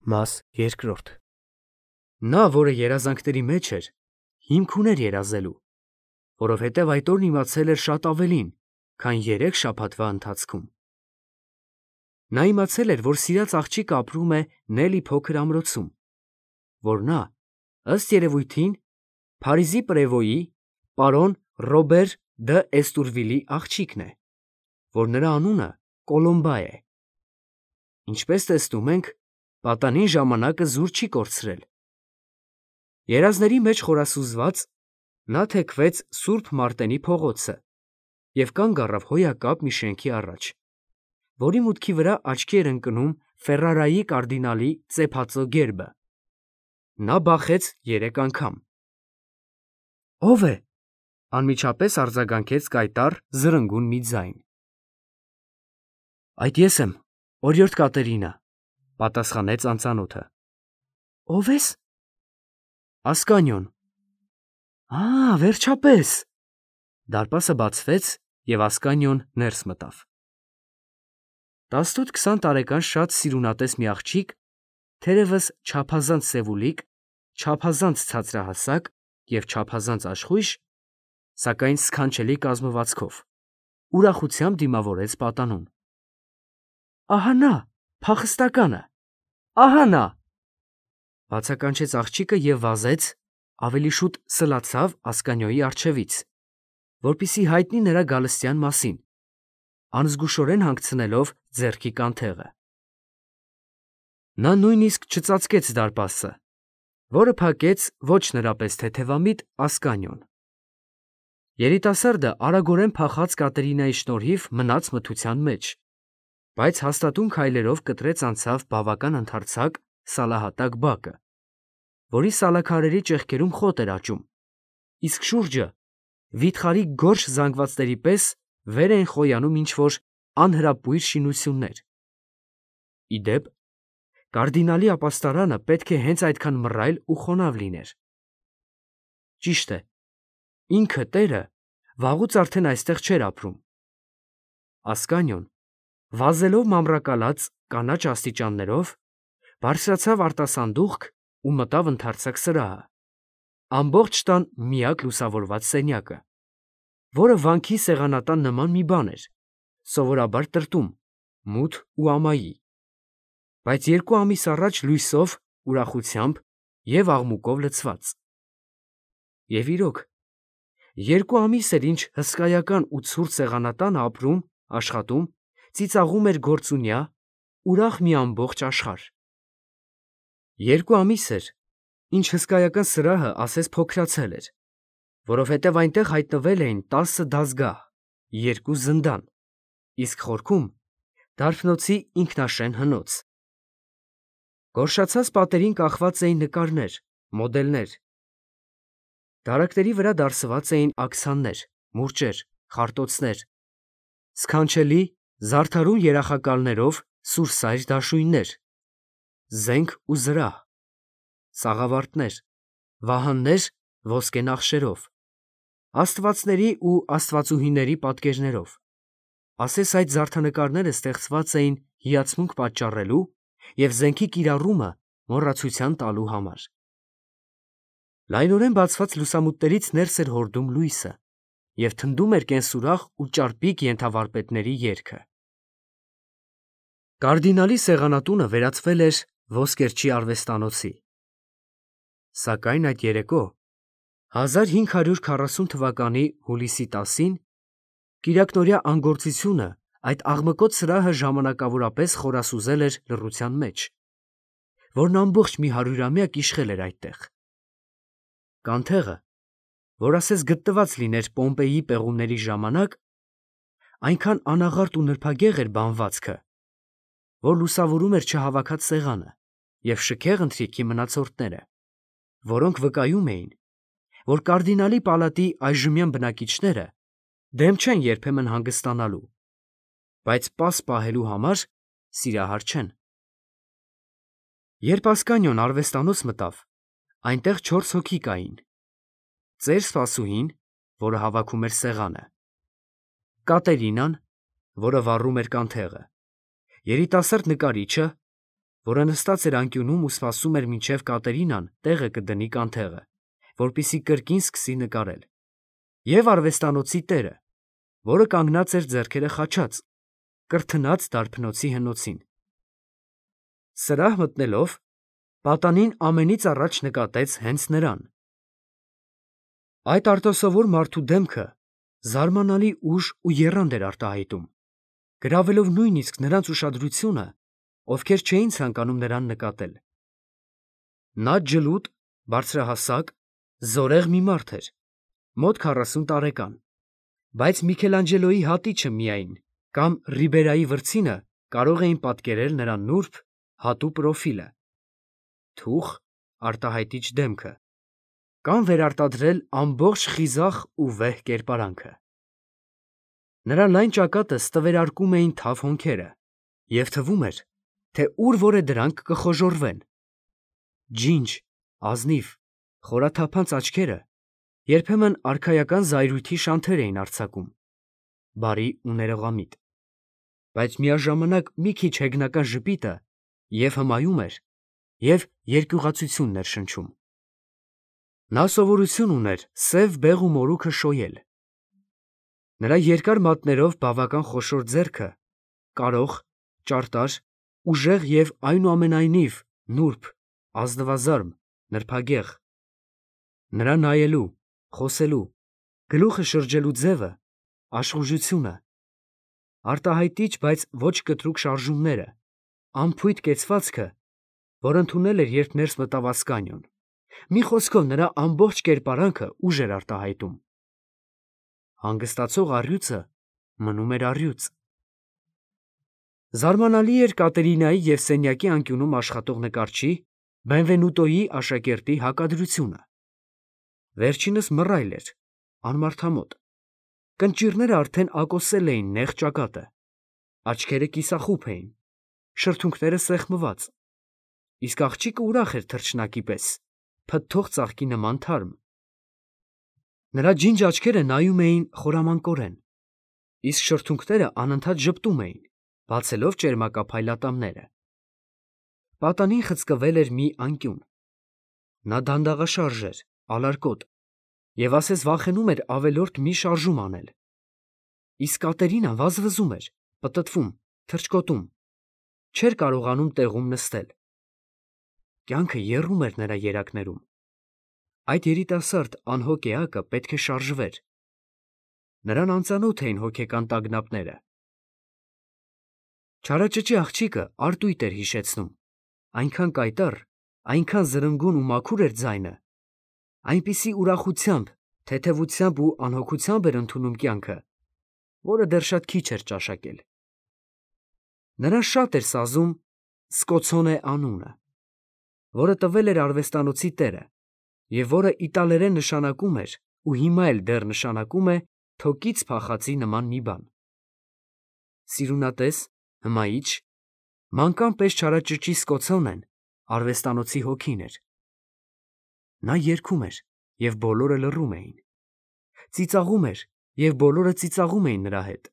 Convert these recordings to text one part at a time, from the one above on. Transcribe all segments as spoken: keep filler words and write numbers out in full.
Մաս երկրորդ Նա, որը երազանքների մեջ էր, հիմք ուներ երազելու, որովհետև այդ օրն իմացել էր շատ ավելին, քան երեք շաբաթվա ընթացքում։ Նա իմացել էր, որ սիրած աղջիկը ապրում է Նելի փոքր ամրոցում, որ նա, ըստ երևույթին, Փարիզի պրևոյի, պարոն Ռոբեր դը Էստուրվիլի աղջիկն է, որ նրա անունը Կոլոմբա է։ Ինչպես տեսնում ենք, պատանին ժամանակը զուր չի կորցրել։ Երազների մեջ խորասուզված, նա թեքվեց Սուրբ Մարտենի փողոցը և կանգ առավ հոյակապ մի շենքի առաջ, որի մուտքի վրա աչքի էր ընկնում Ֆերրարայի կարդինալի ծեփածո գերբը։ Նա բախեց երեք անգամ։ «Ո՞վ է», անմիջապես արձագանքեց կայտառ, զրնգուն մի ձայն։ «Այդ ես եմ, օրիորդ Կատերինա», պատասխանեց անծանոթը։ «Ո՞վ ես»։ «Ասկանիոն»։ «Ա, վերջապես»։ Դարպասը բացվեց, և Ասկանիոն ներս մտավ։ տասնութ-քսան տարեկան շատ սիրունատես մի աղջիկ, թերևս չափազանց սևուլիկ, չափազանց ցածրահասակ և չափազանց աշխույժ, սակայն սքանչելի կազմվածքով, ուրախությամբ դիմավորեց պատանուն։ «Ահա նա, փախստականը, ահա նա», բացականչեց աղջիկը և վազեց, ավելի շուտ սլացավ Ասկանիոյի առջևից, որպեսզի հայտնի նրա գալստյան մասին, անզգուշորեն հանգցնելով ձեռքի կանթեղը։ Նա նույնիսկ չծածկեց դարպասը, որը փակեց ոչ նրա պես թեթևամիտ Ասկանիոն։ Երիտասարդը արագորեն փախած Կատերինայի շնորհիվ մնաց մթության մեջ, բայց հաստատուն քայլերով կտրեց անցավ բավական ընդարձակ սալահատակ բակը, որի սալաքարերի ճեղքերում խոտ էր աճում, իսկ շուրջը վիթխարի գորշ զանգվածների պես վեր էին խոյանում ինչ-որ անհրապույր շինություններ։ Ի դեպ, կարդինալի ապաստարանը պետք է հենց այդքան մռայլ ու խոնավ լիներ։ Ճիշտ է, ինքը տերը վաղուց արդեն այստեղ չէր ապրում։ Ասկանիոն, վազելով մամռակալած կանաչ աստիճաններով, բարձրացավ արտասանդուղք ու մտավ ընդարձակ սրահը, ամբողջ տան միակ լուսավորված սենյակը, որը վանքի սեղանատան նման մի բան էր, սովորաբար տրտում, մութ ու ամայի, բայց երկու ամիս առաջ լույսով, ուրախությամբ և աղմուկով լցված։ Եվ իրոք, երկու ամիս էր, ինչ հսկայական ու ցուրտ սեղանատանը ապրում, աշխատում, ծիծաղում էր գործունյա, ուրախ մի ամբողջ աշխարհ։ Երկու ամիս էր, ինչ հսկայական սրահը ասես փոքրացել էր, որովհետև այնտեղ հայտնվել էին տասը դազգահ, երկու զնդան, իսկ խորքում դարբնոցի ինքնաշեն հնոց։ Գորշացած պատերին կախված էին նկարներ, մոդելներ։ Դարակների վրա դարսված էին աքսաններ, մուրճեր, խարտոցներ, սքանչելի, զարդարուն երախակալներով սուրսայր դաշույններ, զենք ու զրահ, սաղավարտներ, վահաններ ոսկե նախշերով, աստվածների ու աստվածուհիների պատկերներով, ասես այդ զարդանկարները ստեղծված էին հիացմունք պատճառելու և զենքի կիրառումը մոռացության տալու համար։ Լայնորեն բացված լուսամուտներից ներս էր հորդում լույսը և թնդում էր կենսուրախ ու ճարպիկ ենթավարպետների երգը։ Կարդինալի սեղանատունը վերածվել էր ոսկերչի արվեստանոցի։ Սակայն այդ երեկո, հազար հինգ հարյուր քառասուն թվականի հուլիսի տասին, կիրակնօրյա անգործությունը այդ աղմկոտ սրահը ժամանակավորապես խորասուզել էր լռության մեջ, որն ամբողջ մի հարյուրամյակ իշխել էր այդտեղ։ Կանթեղը, որ ասես գտնված լիներ Պոմպեյի պեղումների ժամանակ, այնքան անաղարտ ու նրբագեղ էր բանվածքը, որ լուսավորում էր չհավաքած սեղանը և շքեղ ընթրիքի մնացորդները, որոնք վկայում էին, որ կարդինալի պալատի այժմյան բնակիչները դեմ չեն երբեմն հանգստանալու, բայց պաս պահելու համար սիրահար չեն։ Երբ Ասկանիոն արվեստանոց մտավ, այնտեղ չորս հոգի կային. ծեր սպասուհին, որը հավաքում էր սեղանը, Կատերինան, որը վառում էր կանթեղը, երիտասարդ նկարիչը, որը նստած էր անկյունում ու սպասում էր մինչև Կատերինան տեղը կդնի կանթեղը, որպեսզի կրկին սկսի նկարել, և արվեստանոցի տերը, որը կանգնած էր ձեռքերը խաչած, կրթնած դարբնոցի հնոցին։ Սրահ մտնելով, պատանին ամենից առաջ նկատեց հենց նրան։ Այդ արտասովոր մարդու դեմքը զարմանալի ուժ ու եռանդ էր արտահայտում, գրավելով նույնիսկ նրանց ուշադրությունը, ովքեր չէին ցանկանում նրան նկատել։ Նա ջլուտ, բարձրահասակ, զորեղ մի մարդ էր, մոտ քառասուն տարեկան, բայց Միքելանջելոյի հատիչը միայն կամ Ռիբերայի վրձինը կարող էին պատկերել նրա նուրբ, հատու պրոֆիլը, թուխ, արտահայտիչ դեմքը, կամ վերարտադրել ամբողջ խիզախ ու վեհ կերպարանքը։ Նրա լայն ճակատը ստվերարկում էին թավ հոնքերը, և թվում էր, թե ուր որ է դրանք կխոժոռվեն։ Ջինջ, ազնիվ, խորաթափանց աչքերը երբեմն արքայական զայրույթի շանթեր էին արձակում, բարի ու ներողամիտ, բայց միաժամանակ մի քիչ հեգնական ժպիտը և հմայում էր, և երկյուղացություն ներշնչում։ Նա սովորություն ուներ սև բեղ ու մորուքը շոյել։ Նրա երկար մատներով բավական խոշոր ձեռքը կարող, ճարտար, ուժեղ և այնուամենայնիվ նուրբ, ազնվազարմ, նրբագեղ։ Նրա նայելու, խոսելու, գլուխը շրջելու ձևը, աշխուժությունը, արտահայտիչ, բայց ոչ կտրուկ շարժումները, անփույթ կեցվածքը, որ ընդունել էր, երբ ներս մտավ ասկանիոն, մի խոսքով նրա ամբողջ կերպարանքը ուժ էր արտահայտում։ Հանգստացող առյուծը մնում էր առյուծ։ Զարմանալի էր Կատերինայի և սենյակի անկյունում աշխատող նկարչի Բենվենուտոյի աշակերտի հակադրությունը։ Վերջինս մռայլ էր, անմարդամոտ, կնճիռները արդեն ակոսել էին նեղ ճակատը, աչքերը կիսախուփ էին, շրթունքները սեղմված, իսկ աղջիկը ուրախ էր թռչնակի պես, փթթող ծաղկի նման թարմ։ Նրա ջինջ աչքերը նայում էին խորամանկորեն, իսկ շրթունքները անընդհատ ժպտում էին, բացելով ճերմակափայլ ատամները։ Պատանին խցկվել էր մի անկյուն։ Նա դանդաղաշարժ էր, ալարկոտ, և ասես վախենում էր ավելորդ մի շարժում անել։ Իսկ Կատերինան վազվզում էր, պտտվում, թռչկոտում, չէր կարողանում տեղում նստել։ Կյանքը եռում էր նրա երակներում։ Այդ երիտասարդ անհոգ էակը պետք է շարժվեր։ Նրան անծանոթ էին հոգեկան տագնապները։ Չարաճճի աղջիկը արտույտ էր հիշեցնում, այնքան կայտառ, այնքան զրնգուն ու մաքուր էր ձայնը, այնպիսի ուրախությամբ, թեթևությամբ ու անհոգությամբ էր ընդունում կյանքը, որը դեռ շատ քիչ էր ճաշակել։ Նրան շատ էր սազում Սկոցոնե անունը, որը տվել էր արվեստանոցի տերը, և որը իտալերեն նշանակում էր ու հիմա էլ դեռ նշանակում է թոկից փախածի նման մի բան։ Սիրունատես, հմայիչ, մանկան պես չարաճճի Սկոցոնեն արվեստանոցի հոգին էր։ Նա երգում էր, և բոլորը լռում էին, ծիծաղում էր, և բոլորը ծիծաղում էին նրա հետ,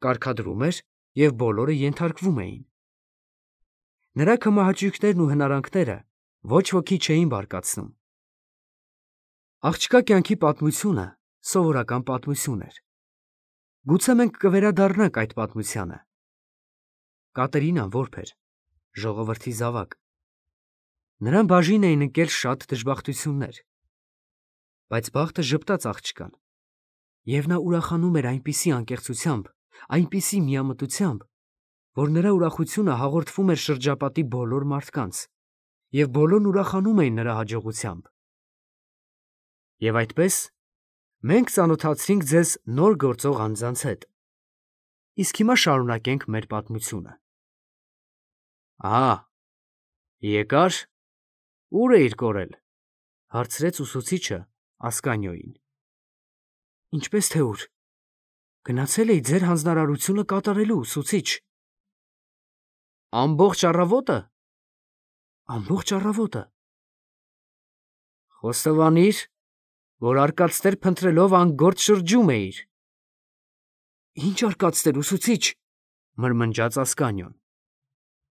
կարգադրում էր, և բոլորը ենթարկվում էին։ Նրա քմահաճույքներն ու հնարանքները ոչ ոքի չէին բարկացնում։ Աղջկա կյանքի պատմությունը սովորական պատմություն էր։ Գուցե մենք կվերադառնանք այդ պատմությանը։ Կատերինան որբ էր, ժողովրդի զավակ։ Նրան բաժին էին ընկել շատ դժբախտություններ, բայց բախտը ժպտաց աղջկան, և նա ուրախանում էր այնպիսի անկեղծությամբ, այնպիսի միամտությամբ, որ նրա ուրախությունը հաղորդվում էր շրջապատի բոլոր մարդկանց, և բոլորն ուրախանում էին նրա հաջողությամբ։ Եվ այդպես մենք ծանոթացրինք ձեզ նոր գործող անձանց հետ։ Իսկ հիմա շարունակենք մեր պատմությունը։ Ահա, եկա՞ր։ Ո՞ւր էիր կորել, հարցրեց ուսուցիչը Ասկանիոյին։ Ինչպես թե ուր։ Գնացել էի ձեր հանձնարարությունը կատարելու, ուսուցիչ։ Ամբողջ առավո՞տը։ Ամբողջ առավոտը։ Խոստովանիր, որ արկածներ փնտրելով անգործ շրջում էիր։ Ինչ արկածներ, ուսուցիչ, մրմնջաց Ասկանիոն։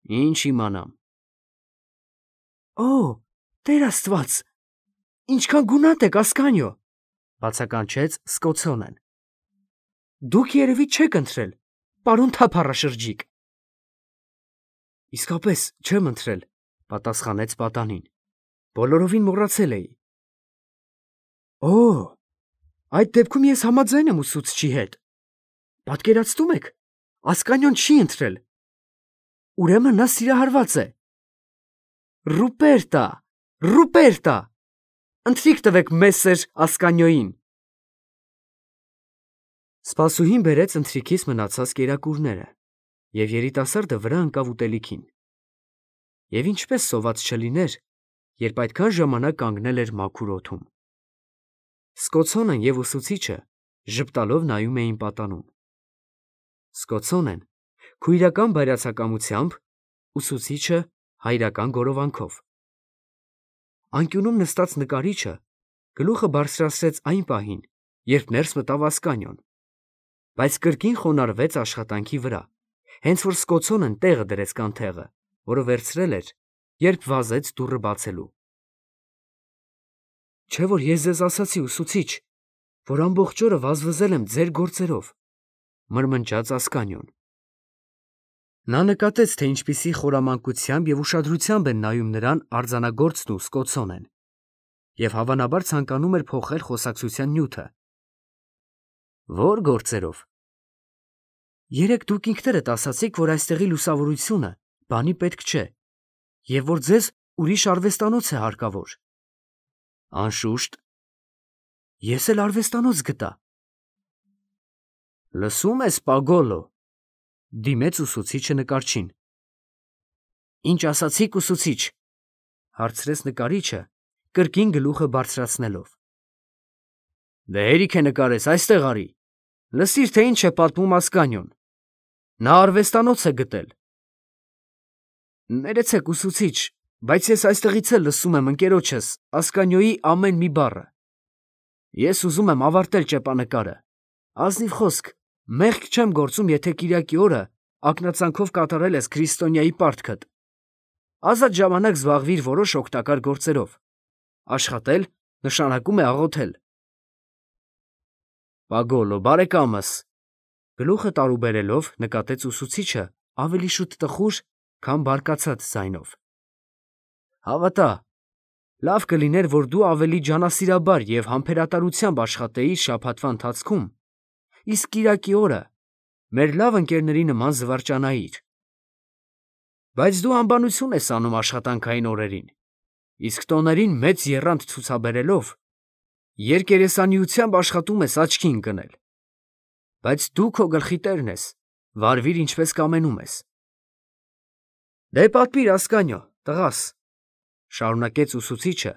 Ինչ իմանամ։ Օ, Տեր Աստված, ինչքան գունատ եք, Ասկանյո, բացականչեց Սկոթսոնեն։ Դուք երևի չեք ընթրել, պարոն թափառաշրջիկ։ Իսկապես չեմ ընթրել, պատասխանեց պատանին։ Բոլորովին մոռացել էի։ Օ, այդ դեպքում ես համաձայն եմ ուսուցչի հետ։ Պատկերացնում եք, Ասկանյոն չի ընթրել։ Ուրեմն նա սիրահարված է։ Ռուպերտա, Ռուպերտա, ընթրիք տվեք մեսեր Ասկանյոյին։ Սպասուհին բերեց ընթրիքից մնացած կերակուրները, և երիտասարդը վրա ընկավ ուտելիքին։ Եվ ինչպես սոված չլիներ, երբ այդքան ժամանակ կանգնել էր մաքուր օդում։ Սկոթսոնեն և ուսուցիչը ժպտալով նայում էին պատանուն։ Սկոթսոնեն քույրական բայրացակամությամբ, ուսուցիչը հայրական գորովանքով։ Անկյունում նստած նկարիչը գլուխը բարձրացրեց այն պահին, երբ ներս մտավ Ասկանյոն, բայց կրկին խոնարհվեց աշխատանքի վրա, հենց որ Սկոթսոնեն տեղը դրեց կանթեղը, որը վերցրել էր, երբ վազեց դուռը բացելու։ Չէ՞ որ ես ձեզ ասացի, ուսուցիչ, որ ամբողջ օրը վազվզել եմ ձեր գործերով, մրմնջաց Ասկանյոն։ Նա նկատեց, թե ինչպիսի խորամանկությամբ և ուշադրությամբ են նայում նրան արձանագործն ու Սկոթսոնեն, և հավանաբար ցանկանում էր փոխել խոսակցության նյութը։ Ո՞ր գործերով։ Երեկ դուք ինքներդ ասացիք, որ այստեղի լուսավորությունը բանի պետք չէ, և որ ձեզ ուրիշ արվեստանոց է հարկավոր։ Անշուշտ։ Ես էլ արվեստանոց գտա։ Լսում ես, Պագոլո, դիմեց ուսուցիչը նկարչին։ Ինչ ասացիք, ուսուցիչ, հարցրեց նկարիչը, կրկին գլուխը բարձրացնելով։ Դե հերիք է նկարես, այստեղ արի, լսիր, թե ինչ է պատմում Ասկանյոն։ Նա արվեստանոց է գտել։ Ներեցեք, ուսուցիչ, բայց ես այստեղից էլ լսում եմ ընկերոջս Ասկանյոյի ամեն մի բառը։ Ես ուզում եմ ավարտել ճեպանկարը։ Ազնիվ խոսք, մեղք չեմ գործում, եթե կիրակի օրը ակնածանքով կատարել ես քրիստոնյայի պարտքդ։ Ազատ ժամանակ զբաղվիր որոշ օգտակար գործերով։ Աշխատել նշանակում է աղոթել։ Պագոլո, բարեկամս, գլուխը տարուբերելով նկատեց ուսուցիչը ավելի շուտ տխուր, քան բարկացած ձայնով։ Հավատա, լավ կլիներ, որ դու ավելի ջանասիրաբար և համբերատարությամբ աշխատեիր շաբաթվա ընթացքում, իսկ կիրակի օրը մեր լավ ընկերների նման զվարճանայիր։ Բայց դու անբանություն ես անում աշխատանքային օրերին, իսկ տոներին մեծ եռանդ ցուցաբերելով երկերեսանիությամբ աշխատում ես աչքի ընկնել։ Բայց դու քո գլխի տերն ես, վարվիր ինչպես կամենում ես։ Դե պատմիր, Ասկանյո, տղաս, շարունակեց ուսուցիչը,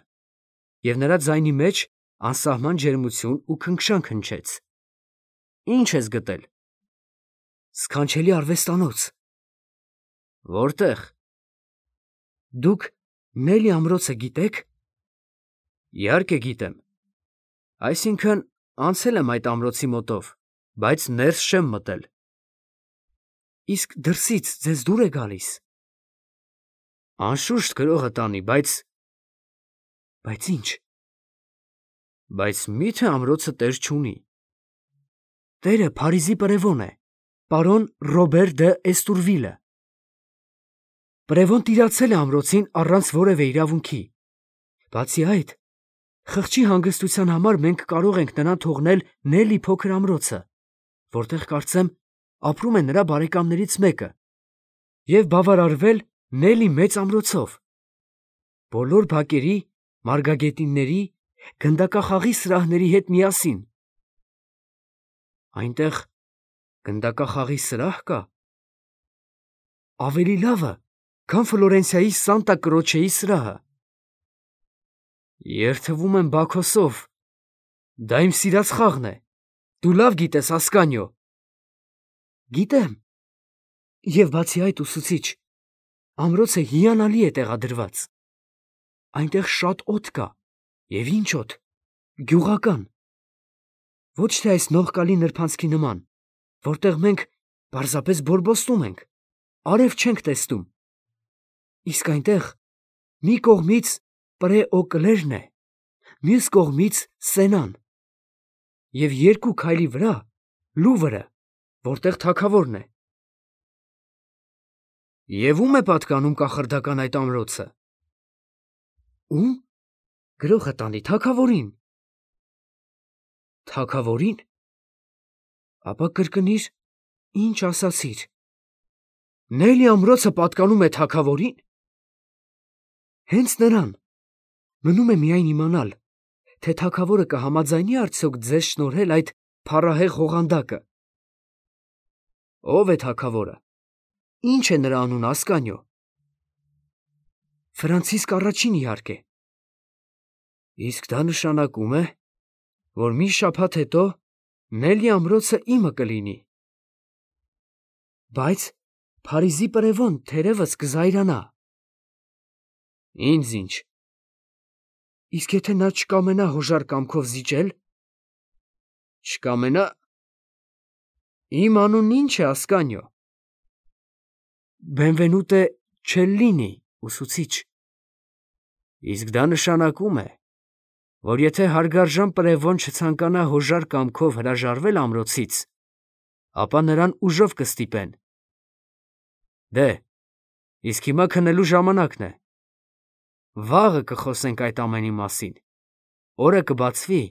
և նրա ձայնի մեջ անսահման ջերմություն ու քնքշանք հնչեց։ Ինչ ես գտել։ Սքանչելի արվեստանոց։ Որտե՞ղ։ Դուք Նելի ամրոցը գիտեք։ Իհարկե գիտեմ։ Այսինքն անցել եմ այդ ամրոցի մոտով, բայց ներս չեմ մտել։ Իսկ դրսից ձեզ դուր է գալիս։ Անշուշտ գրողը տանի, բայց… Բայց ինչ։ Բայց մի՞թե ամրոցը տեր չունի։ Տերը Փարիզի պրևոն է, պարոն Ռոբեր դը Էստուրվիլը։ Պրևոն տիրացել է ամրոցին առանց որևէ իրավունքի։ Բացի այդ, խղճի հանգստության համար մենք կարող ենք նրան թողնել Նելի փոքր ամրոցը, որտեղ կարծեմ ապրում է նրա բարեկամներից մեկը, և բավարարվել Նելի մեծ ամրոցով, բոլոր բակերի, մարգագետինների, գնդակախաղի սրահների հետ միասին։ Այնտեղ գնդակախաղի սրահ կա։ Ավելի լավը, քան Ֆլորենցիայի Սանտա Կրոչեի սրահը։ Երդվում եմ Բաքոսով, դա իմ սիրած խաղն է, դու լավ գիտես, Ասկանյո։ Գիտեմ, և բացի այդ, ուսուցիչ, ամրոցը հիանալի է տեղադրված։ Այնտեղ շատ օդ կա, և ինչ օդ, գյուղական։ Ոչ թե այս նողկալի նրբանցքի նման, որտեղ մենք պարզապես բորբոստում ենք, արև չենք տեսնում Իսկ այնտեղ մի կողմից պրեօկլերն է, մյուս կողմից Սենան, և երկու քայլի վրա Լուվրը, որտեղ թագավորն է։ Եվ ո՞ւմ է պատկանում կախարդական այդ ամրոցը։ Ո՞ւմ։ Գրողը տանի թագավորին։ Թագավորին։ Ապա կրկնիր, ինչ ասացիր։ Նելի ամրոցը պատկանում է թագավորին։ Հենց նրան։ Մնում է միայն իմանալ, թե թագավորը կհամաձայնի արդյոք ձեզ շնորհել այդ փառահեղ ղողանդակը։ Ո՞վ է թագավորը։ Ինչ է նրա անունը, Ասկանիո։ Ֆրանցիսկ առաջին, իհարկե։ Իսկ դա նշանակում է, որ մի շաբաթ հետո Նելի ամրոցը իմը կլինի։ Բայց Փարիզի պրևոն թերևս կզայրանա։ Ինձ ինչ։ Իսկ եթե նա չկամենա հոժար կամքով զիջել։ Չկամենա։ Իմ անունն ինչ է, Ասկանիո։ Բենվենուտե Չելլինի, ուսուցիչ։ Իսկ դա նշանակում է, որ եթե հարգարժան պրևոն չցանկանա հոժար կամքով հրաժարվել ամրոցից, ապա նրան ուժով կստիպեն։ Դե, իսկ հիմա քնելու ժամանակն է։ Վաղը կխոսենք այդ ամենի մասին։ Օրը կբացվի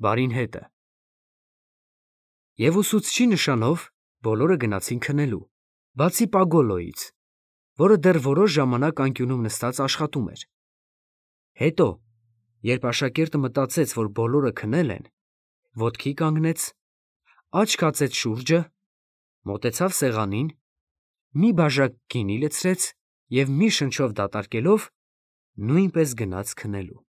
բարին հետը։ Եվ ուսուցչի նշանով բոլորը գնացին քնելու, բացի Պագոլոյից, որը դեռ որոշ ժամանակ անկյունում նստած աշխատում էր։ Հետո, երբ աշակերտը մտածեց, որ բոլորը քնել են, ոտքի կանգնեց, աչք հացեց շուրջը, մոտեցավ սեղանին, մի բաժակ գինի լցրեց և մի շնչով դատարկելով նույնպես գնաց քնելու։